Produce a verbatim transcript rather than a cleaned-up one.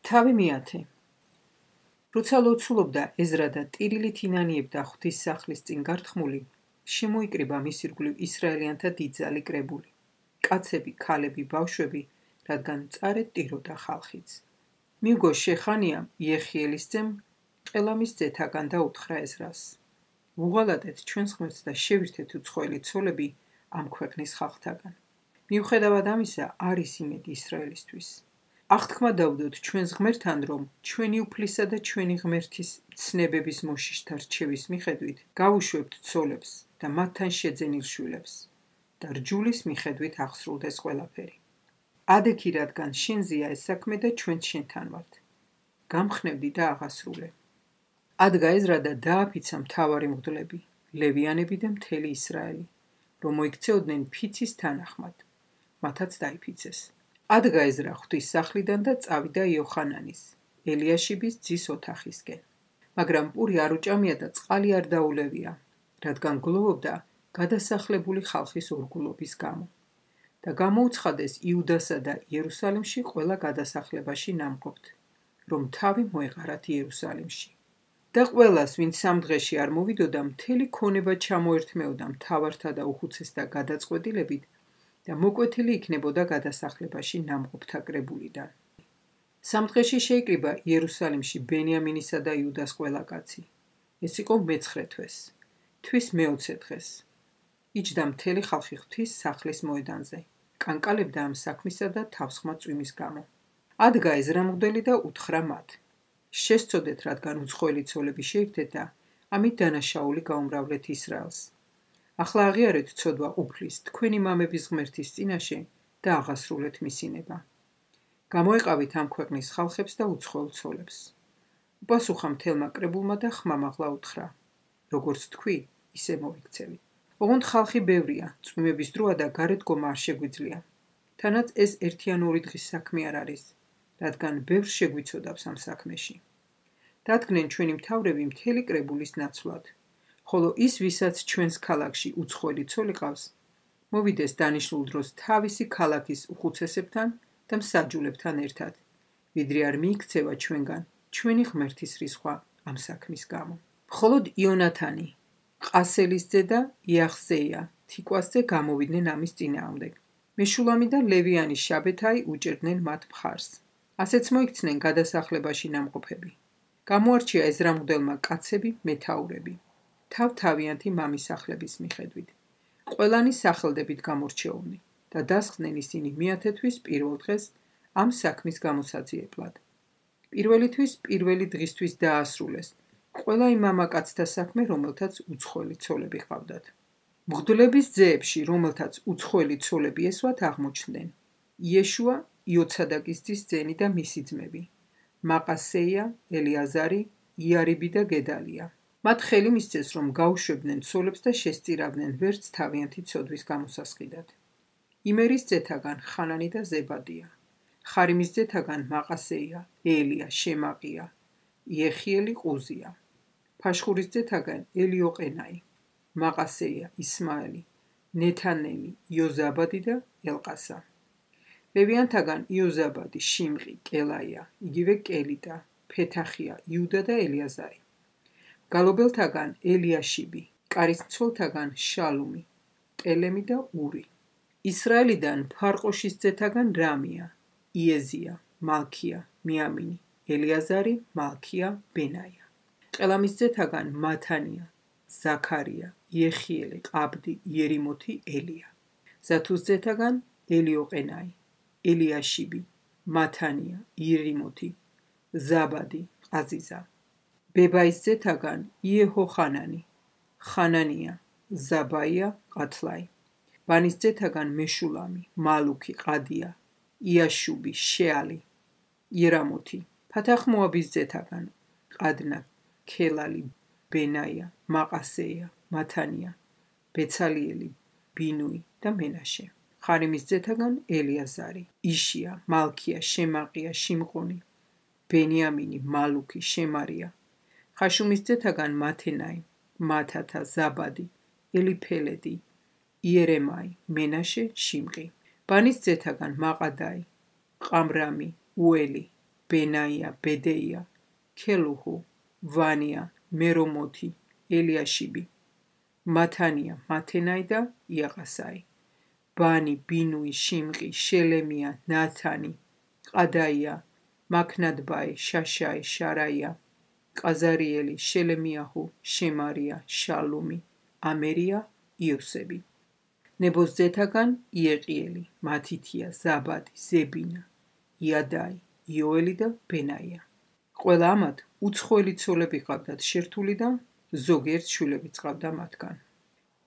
თავი მეათე. როცა ლოცულობდა ეზრა და ტირილით ინანიებდა ღვთისმსახლის წინ გართხმული, შემოიკრიბა მის ირგვლივ ისრაელიანთა დიდძალი კრებული, კაცები, ქალები, ბავშვები, რადგან მწარედ ტიროდა ხალხიც. მიუგო შეხანიამ იეხიელის ძემ ყელამის ძეთაგან და უთხრა ეზრას: უღალატეთ ჩვენს ღმერთს და შევირთეთ უცხოელი ცოლები ამ ქვეყნის ხალხთაგან. მიუხედავად ამისა, არის იმედი ისრაელისთვის. აღთქმა დავდოთ ჩვენს ღმერთთან, რომ ჩვენი უფლისა და ჩვენი ღმერთის ცნებების მოშიშთა რჩევის მიხედვით გავუშვებთ ცოლებს და მათთან შეძენილ შვილებს და რჯულის მიხედვით აღსრულდეს ყველაფერი. ადექი, რადგან შენზეა ეს საქმე და ჩვენც შენთან ვართ. გამხნევდი და აღასრულე. ადგა ეზრა და დააფიცა მთავარი მღვდლები, ლევიანები და მთელი ისრაელი, რომ მოიქცეოდნენ ფიცის თანახმად. მათაც დაიფიცეს. ადგა ეზრა ღვთის სახლიდან და წავიდა იოხანანის, ელიაშიბის ძის ოთახისკენ. მაგრამ პური არ უჭამია და წყალი არ დაულევია, რადგან გლოვობდა გადასახლებული ხალხის ორგულობის გამო. და გამოუცხადეს იუდასა და იერუსალიმში ყველა გადასახლებაში ნამყოფთ, რომ თავი მოეყარათ იერუსალიმში. და ყველას, ვინც სამ დღეში არ მოვიდოდა, მთელი ქონება ჩამოერთმეოდა მთავართა და უხუცესთა გადაწყვეტილებით და მოკვეთილი იქნებოდა გადასახლებაში ნამყოფთა კრებულიდან. სამ დღეში შეიკრიბა იერუსალიმში ბენიამინისა და იუდას ყველა კაცი. ეს იყო მეცხრე თვეს, თვის მეოცე დღეს. იჯდა მთელი ხალხი ღვთის სახლის მოედანზე, კანკალებდა ამ საქმისა და თავსხმა წვიმის გამო. ადგა ეზრა მღვდელი და უთხრა მათ: შესწოდეთ, რადგან უცხოელი ცოლები შეირთეთ და ამით დანაშაული გაუმრავლეთ ისრაელს. ახლა აღიარეთ ცოდვა უფლის თქვენი მამების ღმერთის წინაშე და აღასრულეთ მისინება. გამოეყავით ამ ქვეყნის ხალხებს და უცხოელ ცოლებს. უპასუხა მთელმა კრებულმა და ხმამაღლა უთხრა: როგორც თქვი, ისე მოვიქცევით. ოღონდ ხალხი ბევრია, წვიმების დროა და გარეთ გომა არ შეგვიძლია. თანაც ეს ერთი ან ორი დღის საქმე არ არის, რადგან ბევრს შეგვიცოდავს ამ საქმეში. დადგნენ ჩვენი მთავრები მთელი კრებულის ნაცვლად, ხოლო ის, ვისაც ჩვენს ქალაქში უცხოელი ცოლი ყავს, მოვიდეს დანიშნულ დროს თავისი ქალაქის უხუცესებთან და მსაჯულებთან ერთად, ვიდრე არ მიიქცევა ჩვენგან ჩვენი ღმერთის რისხვა ამ საქმის გამო. მხოლოდ იონათანი, ყასელის ძე და იახზეია თიკვასზე გამოვიდნენ ამის წინააღმდეგ. მეშულამი და ლევიანი შაბეთაი უჭერდნენ მათ მხარს. ასეც მოიქცნენ გადასახლებაში ნამყოფები. გამოარჩია ეზრა მღვდელმა კაცები, მეთაურები, თავ-თავიანთი მამისახლების მიხედვით. ყველანი სახელდებით გამორჩეულნი და დასხდნენ ისინი მეათე თვის პირველ დღეს ამ საქმის გამოსაძიებლად. პირველი თვის პირველი დღისთვის დაასრულეს ყველა იმ მამაკაცთა საქმე, რომელთაც უცხოელი ცოლები ჰყავდათ. მღვდლების ძეებში, რომელთაც უცხოელი ცოლები ესვათ, აღმოჩნდნენ იეშუა, იოცადაკის ძის ძენი და მისი ძმები, მაყასეია, ელიაზარი, იარიბი და გედალია. მათ ხელი მისცეს, რომ გაუშვებდნენ ცოლებს და შესწირავდნენ ვერც თავიანთი ცოდვის გამოსასყიდად. იმერის ძეთაგან ხანანი და ზებადია, ხარიმის ძეთაგან მაყასეია, ელია, შემაყია, იეხიელი, ყუზია, ფაშხურის ძეთაგან ელიოყენაი, მაყასეია, ისმაელი, ნეთანელი, იოზაბადი და ელყასა. ლევიანთაგან იოზაბადი, შიმყი, კელაია, იგივე კელიტა, ფეთახია, იუდა და ელიაზარი. გალობელთაგან ელიაშიბი, კარისმცველთაგან შალუმი, ტელემი და ური. ისრაელიდან ფარყოშის ძეთაგან რამია, იეზია, მალქია, მიამინი, ელიაზარი, მალქია, ბენაია. ყელამის ძეთაგან მათანია, ზაქარია, იეხიელი, ყაბდი, იერიმოთი, ელია. ზათუს ძეთაგან ელიოყენაი, ელიაშიბი, მათანია, იერიმოთი, ზაბადი, ყაზიზა. ბებაის ძეთაგან იეჰოხანანი, ხანანია, ზაბაია, ყათლაი. ბანის ძეთაგან მეშულამი, მალუქი, ყადია, იაშუბი, შეალი, იერამოთი. ფათახ-მოაბის ძეთაგან ყადნა, ქელალი, ბენაია, მაყასეია, მათანია, ბეცალიელი, ბინუი და მენაშე. ხარიმის ძეთაგან ელიაზარი, იშია, მალქია, შემაყია, შიმყონი, ბენიამინი, მალუქი, შემარია. ხაშუმის ძეთაგან მათენაი, მათათა, ზაბადი, ელიფელედი, იერემაი, მენაშე, შიმყი. ბანის ძეთაგან მაყადაი, ყამრამი, უელი, ბენაია, ბედეია, ქელუჰუ, ვანია, მერომოთი, ელიაშიბი, მათანია, მათენაი და იაყასაი, ბანი, ბინუი, შიმყი, შელემია, ნათანი, ყადაია, მაქნადბაი, შაშაი, შარაია, ყაზარიელი, შელემიაჰუ, შემარია, შალუმი, ამერია, იოსები. ნებოს ძეთაგან იეყიელი, მათითია, ზაბადი, ზებინა, იადაი, იოელი და ბენაია. ყველა ამათ უცხოელი ცოლები ყავდათ შერთული და ზოგიერთ შვილებიც ყავდა მათგან.